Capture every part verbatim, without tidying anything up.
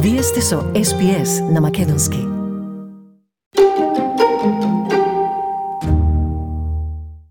Вие сте со Ес Би Ес на македонски.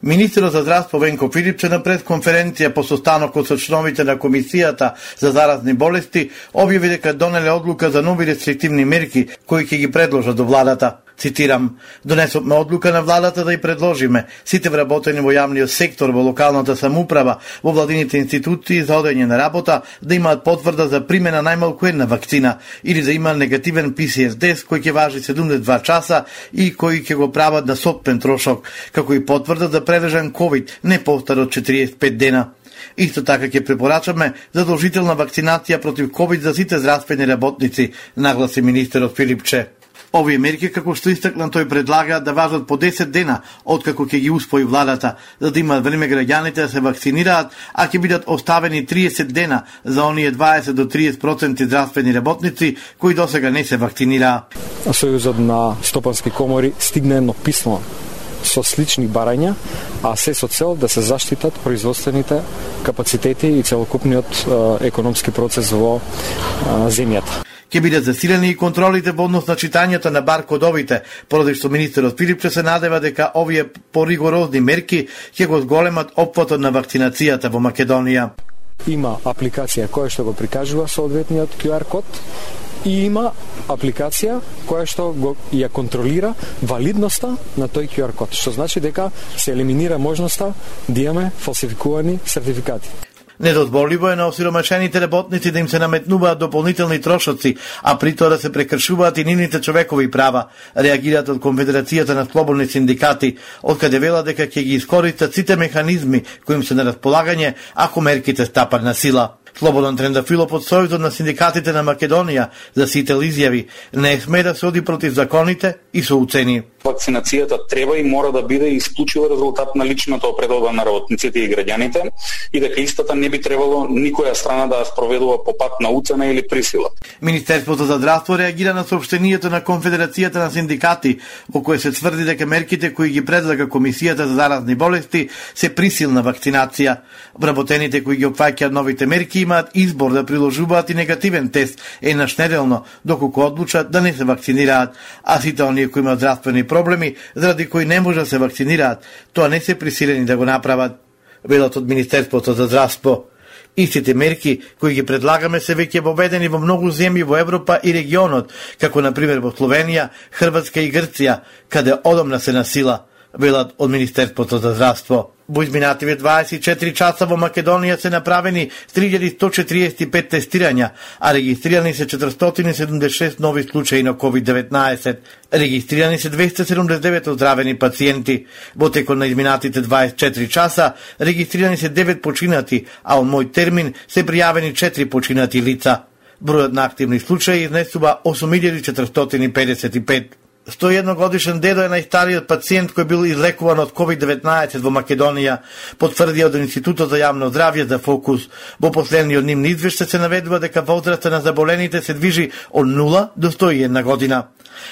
Министерот за здравство Венко Филипче на пресконференција по состанокот со членовите на Комисијата за заразни болести објави дека донеле одлука за нови рестриктивни мерки кои ќе ги предложат до владата. Цитирам: "Донесовме одлука на владата да ја предложиме сите вработени во јавниот сектор, во локалната самоуправа, во владините институции за одење на работа да имаат потврда за примена најмалку една вакцина или да има негативен Пи Си Ар тест кој ќе важи седумдесет и два часа и кој ќе го прават на сопствен трошок, како и потврда за прележан ковид не постар од четириесет и пет дена. Исто така ќе препорачаме задолжителна вакцинација против ковид за сите здравствени работници", нагласи министерот Филипче. Овие мерки, како што истакна тој, предлага да важат по десет дена откако ќе ги успои владата, за да имат време граѓаните да се вакцинираат, а ќе бидат оставени триесет дена за оние дваесет до триесет проценти здравствени работници кои досега не се вакцинираа. Сојузот на стопански комори стигна едно писмо со слични барања, а се со цел да се заштитат производствените капацитети и целокупниот е, економски процес во е, земјата. Ќе бидат засилени и контролите во однос на читањето на баркодовите, поради што министерот Филипче се надева дека овие поригорозни мерки ќе го зголемат опфатот на вакцинацијата во Македонија. Има апликација која што го прикажува соодветниот Ку Ар код и има апликација која што го ја контролира валидноста на тој Ку Ар код, што значи дека се елиминира можноста да имаме фалсификувани сертификати. Недозволиво е на осиромашените работници да им се наметнуваат дополнителни трошоци, а при тоа да се прекршуваат и нивните човекови права, реагираат од Конфедерацијата на слободни синдикати, откаде вела дека ќе ги искористат сите механизми кои им се на располагање ако мерките стапат на сила. Слободан Трендафилов од Сојузот на синдикатите на Македонија за сител изјави: "Не сме да се оди против законите и со уцени. Вакцинацијата треба и мора да биде исклучиво резултат на личната опредодба на работниците и граѓаните и дека истата не би требало никоја страна да ја спроведува по пат на уцена или присила." Министерството за здравство реагира на соопштението на Конфедерацијата на синдикати, во кое се тврди дека мерките кои ги предлага Комисијата за заразни болести се присилна вакцинација. Вработените кои ги опфаќаат новите мерки имаат избор да приложуваат и негативен тест еднаш неделно, доколку одлучат да не се вакцинираат, а сите оние кои имаат здравствени проблеми, заради кои не може да се вакцинираат, тоа не се присилени да го направат, велат од Министерството за здравство. Истите мерки кои ги предлагаме се веќе воведени во многу земји во Европа и регионот, како на пример во Словенија, Хрватска и Грција, каде одамна се насила, велат од Министерството за здравство. Во изминативе дваесет и четири часа во Македонија се направени три илјади сто четириесет и пет тестирања, а регистрирани се четиристотини седумдесет и шест нови случаи на ковид деветнаесет. Регистрирани се двесте седумдесет и девет оздравени пациенти. Во текот на изминатите дваесет и четири часа регистрирани се девет починати, а од мој термин се пријавени четири починати лица. Бројот на активни случаи изнесува осум илјади четиристотини педесет и пет. сто и едно годишен дедо е најстариот пациент кој бил излекуван од ковид деветнаесет во Македонија, потврдија од Институтот за јавно здравје за Фокус. Во последниот нивни извештај се наведува дека возраста на заболените се движи од нула до сто и една година.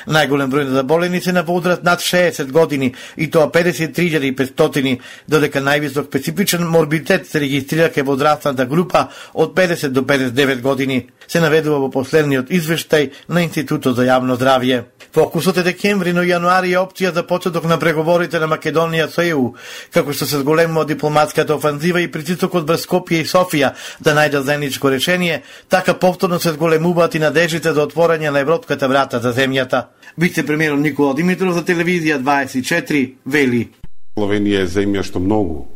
Најголем број на заболени се на возраст над шеесет години, и тоа педесет и три илјади и петстотини, додека највисок специфичен морбидитет се регистрира кај возрастната група од педесет до педесет и девет години, се наведува во последниот извештај на Институтот за јавно здравје. Фокусот е декември, но јануари е опција за почеток на преговорите на Македонија со Е У, како што се зголемува дипломатската офанзива и притисокот врз Скопје и Софија да најдат заедничко решение, така повторно се зголемуваат и надеждите за отворање на европската врата за земјата. Вице-премиерот Никола Димитров за телевизија дваесет и четири вели: Словенија е земја што многу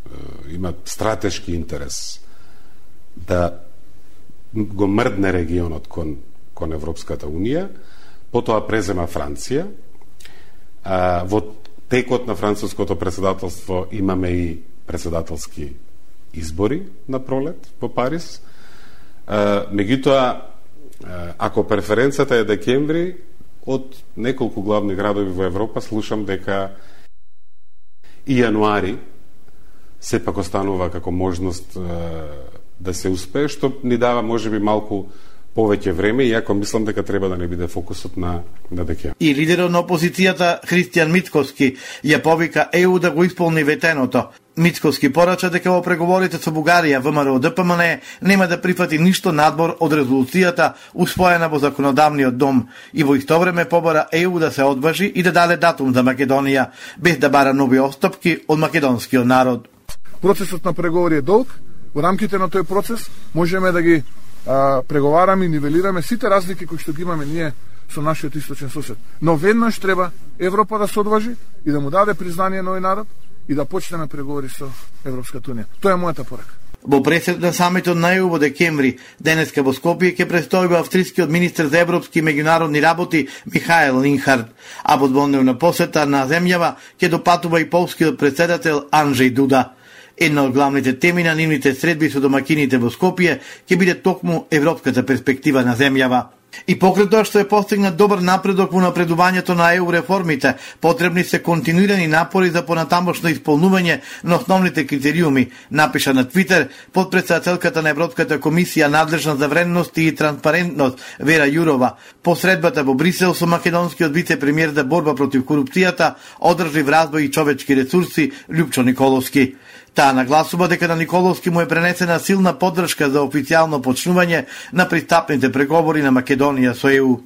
е, има стратешки интерес да го мрдне регионот кон, кон Европската Унија. Потоа презема Франција. А, во текот на француското председателство имаме и председателски избори на пролет во Париз. А, меѓутоа, ако преференцијата е декември, од неколку главни градови во Европа слушам дека и јануари сепак останува како можност а, да се успее, што ни дава можеби малку повеќе време, иако мислам дека треба да не биде фокусот на, на декември. И лидерот на опозицијата Христијан Мицкоски ја повика Е У да го исполни ветеното. Мицкоски порача дека во преговорите со Бугарија ВМРО Д П М Н нема да прифати ништо надбор од резолуцијата усвоена во законодавниот дом и во исто време побара Е У да се одважи и да даде датум за Македонија, без да бара нови отстапки од македонскиот народ. Процесот на преговори е долг. Во рамките на тој процес можеме да ги а, преговараме и нивелираме сите разлики кои што ги имаме ние со нашиот источен сосед. Но веднаш треба Европа да се одважи и да му даде признание на овој народ и да почнеме преговори со Европската унија. Тоа е мојата порака. Во пресед на самитот на Е У во декември, денеска во Скопје ќе престојува австрискиот министер за европски и меѓународни работи Михаел Линхард, а во дводневна посета на земјава ќе допатува и полскиот председател Анджеј Дуда. Една од главните теми на нивните средби со домакините во Скопје ќе биде токму европската перспектива на земјава. И покрај тоа што е постигнат добар напредок во напредувањето на Е У реформите, потребни се континуирани напори за понатамошно исполнување на основните критериуми, напиша на Твитер подпредседателката на Европската комисија надлежна за вредност и транспарентност Вера Јурова. По средбата во Брисел со македонскиот вице-премиер за борба против корупцијата, одржлив развој и човечки ресурси Лјупчо Николовски. Таа нагласува дека на Николовски му е пренесена силна поддршка за официјално почнување на пристапните преговори на Македонија со Е У.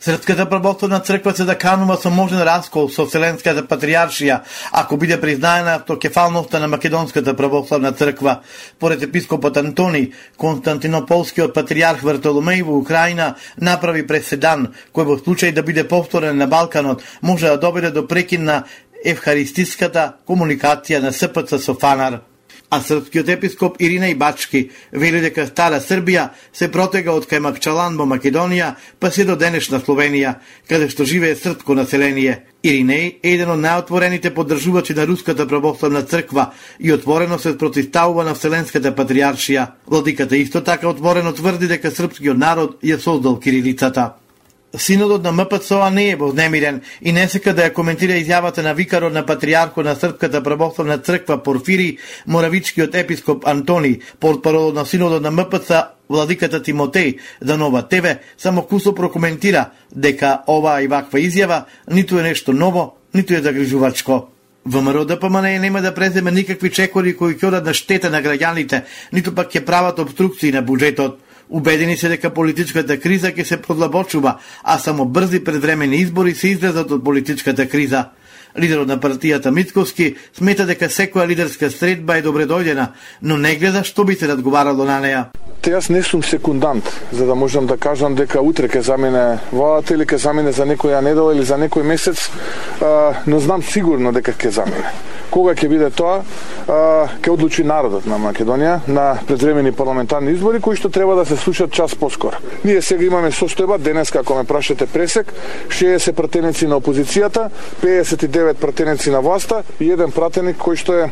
Српската православна црква се заканува со можен раскол со Вселенската патријаршија, ако биде признаена автокефалноста на Македонската православна црква. Поред епископот Антони, Константинополскиот патријарх Вартоломеј во Украина направи преседан, кој во случај да биде повторен на Балканот, може да доведе до прекин на евхаристиската комуникација на С П Ц со Фанар. А српскиот епископ Иринеј Бачки вели дека Стара Србија се протега од кај Макчалан во Македонија па се до денешна Словенија, каде што живее српско население. Иринеј е еден од најотворените поддржувачи на Руската православна црква и отворено се противставува на Вселенската патријаршија. Владиката исто така отворено тврди дека српскиот народ ја создал кирилицата. Синодот на М П Ц О не е вознемирен и не сека да ја коментира изјавата на викарот на патријархот на Српската православна црква Порфири, моравичкиот епископ Антони, портпарол на Синодот на М П Ц владиката Тимотеј за Нова Т В, само кусо прокоментира дека оваа и ваква изјава ниту е нешто ново, ниту е загрижувачко. ВМРО Д П М Н нема да преземе никакви чекори кои ќе одат на штета на граѓаните, ниту пак ќе прават обструкции на буџетот. Убедени се дека политичката криза ќе се продлабочува, а само брзи предвремени избори се излезат од политичката криза. Лидерот на партијата Мицкоски смета дека секоја лидерска средба е добредојдена, но не гледа што би се разговарало на неа. Те јас не сум секундант, за да можам да кажам дека утре ќе замине владата или ќе замине за некоја недела или за некој месец, но знам сигурно дека ќе замине. Кога ќе биде тоа, ќе одлучи народот на Македонија на предвремени парламентарни избори кои што треба да се случат час поскоро. Ние сега имаме состојба, денеска ако ме прашате пресек, шеесет пратеници на опозицијата, педесет и девет пратеници на власта и еден пратеник кој што е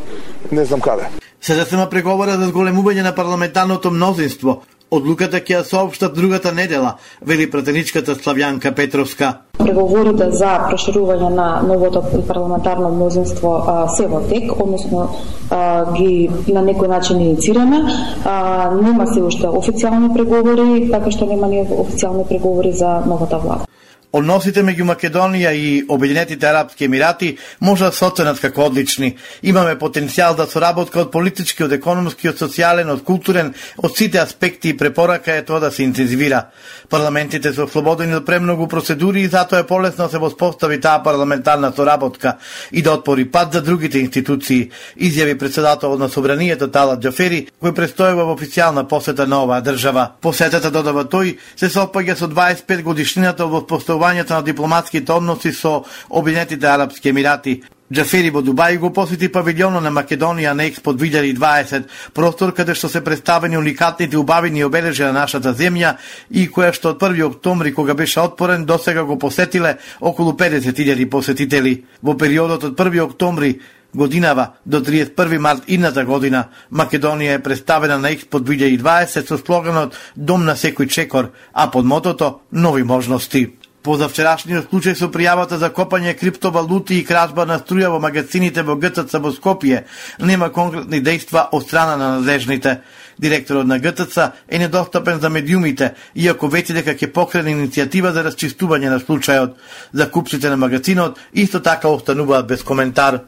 не знам каде. Сега се преговора за зголемување на парламентарното мнозинство. Одлуката ќе ја соопштат другата недела, вели пратеничката Славјанка Петровска. Преговорите за проширување на новото парламентарно мнозинство а, се во тек, односно а, ги на некој начин иницираме. А, нема се уште официјални преговори, така што нема ни официјални преговори за новата влада. Односите меѓу Македонија и Обединетите арапски емирати може да се оценат како одлични. Имаме потенцијал за соработка од политички, од економски, од социјален, од културен, од сите аспекти и препорака е тоа да се интензивира. Парламентите се ослободени од премногу процедури и затоа е полесно да се воспостави таа парламентарна соработка и да отвори пат за другите институции, изјави председателот на Собранието Талат Џафери, кој престојува во официјална посета на оваа држава. Посетата, додава тој, се сопаѓа со дваесет и пет годишнината од воспоставувањето на дипломатските односи со Обединетите арапски емирати. Џафери во Дубај го посети павилјонот на Македонија на Експо две илјади и дваесет, простор каде што се представени уникатните убавини обележја на нашата земја и која што од први октомври кога беше отворен досега го посетиле околу педесет илјади посетители. Во периодот од први октомври годинава до триесет и први март идната година Македонија е представена на Експо две илјади и дваесет со слоганот Дом на секој чекор, а под мотото Нови можности. Позавчерашниот случај со пријавата за копање криптовалути и кражба на струја во магазините во Г Ц Ц во Скопје нема конкретни дејства од страна на надежните. Директорот на Г Т Ц е недостапен за медиумите, иако вети дека ќе покрене иницијатива за расчистување на случајот. Закупците на магазинот исто така остануваат без коментар.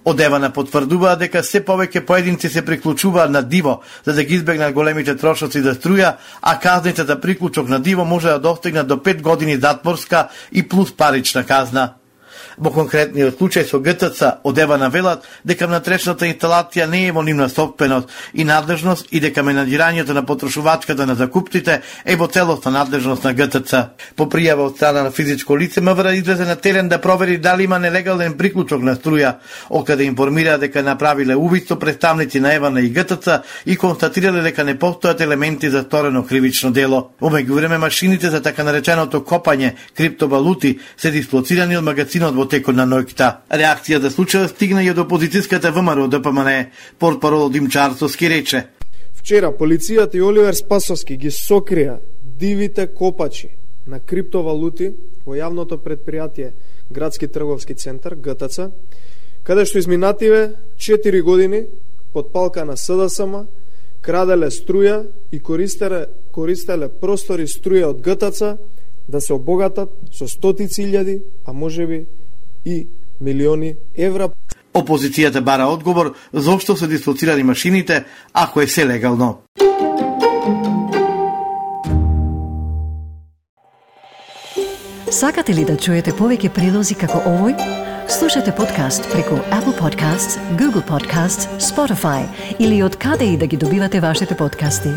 Од Евана потврдуваат дека се повеќе поединци се приклучуваат на диво за да ги избегнат големите трошоци за струја, а казните за приклучок на диво може да достигнат до пет години затворска и плюс парична казна. Во конкретниот случај со Г Т Ц од Евана велат дека внатрешната инсталација не е во нивна собственост и надлежност и дека менаџирањето на потрошувачката на закупците е во целосна надлежност на Г Т Ц. По пријава од страна на физичко лице, М В Р излезе на терен да провери дали има нелегален приклучок на струја, откаде информира дека направиле увид со представници на Евана и Г Т Ц и констатирале дека не постојат елементи за сторено кривично дело. Во меѓувреме машините за така нареченото копање криптовалути се дислоцирани од магазинот во текот на ноќта. Реакција за случајот стигна и од опозицијската В М Р Д П М Н Е. Портпарол Димчар Арцовски рече: Вчера полицијата и Оливер Спасовски ги сокрија дивите копачи на криптовалути во јавното предпријатие Градски трговски центар Г Т Ц, каде што изминативе четири години под палка на С Д С М краделе струја и користеле, користеле простори струја од Г Т Ц да се обогатат со стотици илјади, а можеби и милиони евра. Опозицијата бара одговор зошто се дислоцирани машините, ако е се легално. Сакате ли да чуете повеќе прилози како овој? Слушате подкаст преку Apple Podcasts, Google Podcasts, Spotify или од каде и да ги добивате вашите подкасти.